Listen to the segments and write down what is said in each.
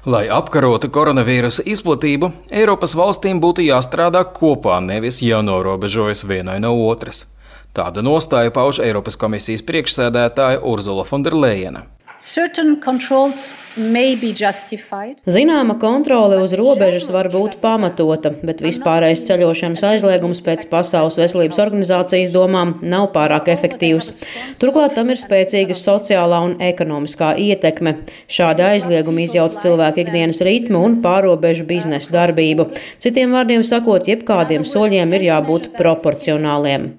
Lai apkarotu koronavīrusa izplatību, Eiropas valstīm būtu jāstrādā kopā, nevis jānorobežojas vienai no otras. Tāda nostāja pauž Eiropas komisijas priekšsēdētāja Urzula Fonderlejena. Zināma kontrole uz robežas var būt pamatota, bet vispārējais ceļošanas aizliegums pēc Pasaules veselības organizācijas domām nav pārāk efektīvs. Turklāt tam ir spēcīga sociālā un ekonomiskā ietekme. Šādi aizliegumi izjauc cilvēku ikdienas ritmu un pārobežu biznesu darbību. Citiem vārdiem sakot, jebkādiem soļiem ir jābūt proporcionāliem.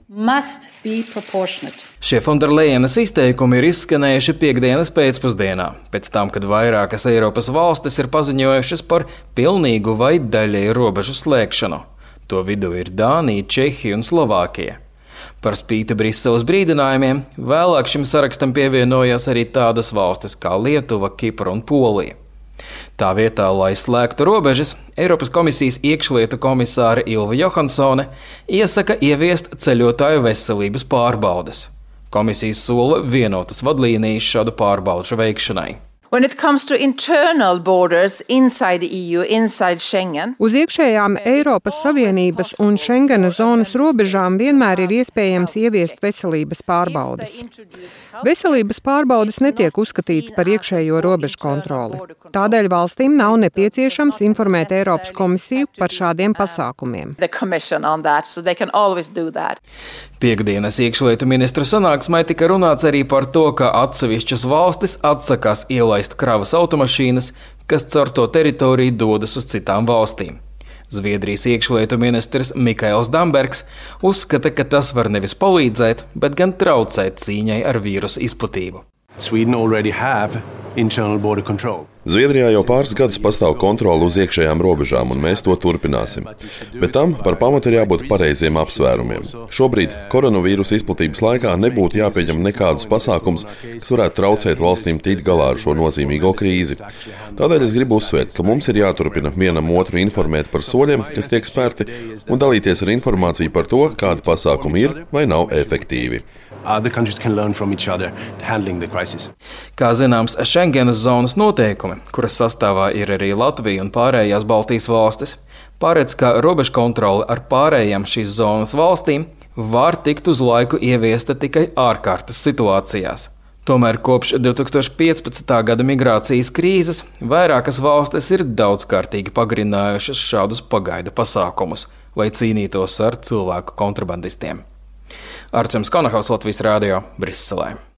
Šie Fonderlejenas izteikumi ir izskanējuši piektdienas pēcpusdienā, pēc tam, kad vairākas Eiropas valstis ir paziņojušas par pilnīgu vai daļēju robežu slēgšanu. To vidū ir Dānija, Čehija un Slovākija. Par spīti Briseles brīdinājumiem, vēlāk šim sarakstam pievienojās arī tādas valstis kā Lietuva, Kipra un Polija. Tā vietā, lai slēgtu robežas, Eiropas komisijas iekšlietu komisāre Ilva Johansone iesaka ieviest ceļotāju veselības pārbaudes. Komisija sola vienotas vadlīnijas šādu pārbaudu veikšanai. Uz iekšējām Eiropas Savienības un Schengena zonas robežām vienmēr ir iespējams ieviest veselības pārbaudes. Veselības pārbaudes netiek uzskatīts par iekšējo robežu kontroli. Tādēļ valstīm nav nepieciešams informēt Eiropas komisiju par šādiem pasākumiem. Piektdienas iekšlietu ministru sanāksmē tika runāts arī par to, ka atsevišķas valstis atsakās ielaist kravas automašīnas, kas caur to teritoriju dodas uz citām valstīm. Zviedrijas iekšlietu ministrs Mikaels Dambergs uzskata, ka tas var nevis palīdzēt, bet gan traucēt cīņai ar vīrusu izplatību. Zviedrijā jau pāris gadus pastāv kontrole uz iekšējām robežām, un mēs to turpināsim. Bet tam par pamatu ir jābūt pareiziem apsvērumiem. Šobrīd koronavīrusa izplatības laikā nebūtu jāpieņem nekādus pasākums, kas varētu traucēt valstīm tikt galā ar šo nozīmīgo krīzi. Tādēļ es gribu uzsvērt, ka mums ir jāturpina vienam otru informēt par soļiem, kas tiek spērti, un dalīties ar informāciju par to, kādi pasākumi ir vai nav efektīvi. Kā zināms, Schengenas zonas noteikumi, kuras sastāvā ir arī Latvija un pārējās Baltijas valstis, paredz, ka robežu kontrole ar pārējām šīs zonas valstīm var tikt uz laiku ieviesta tikai ārkārtas situācijās. Tomēr kopš 2015. gada migrācijas krīzes vairākas valstis ir daudzkārtīgi pagarinājušas šādus pagaidu pasākumus, lai cīnītos ar cilvēku kontrabandistiem. Arčuns Konahaus, Latvijas Rādio, Briselē.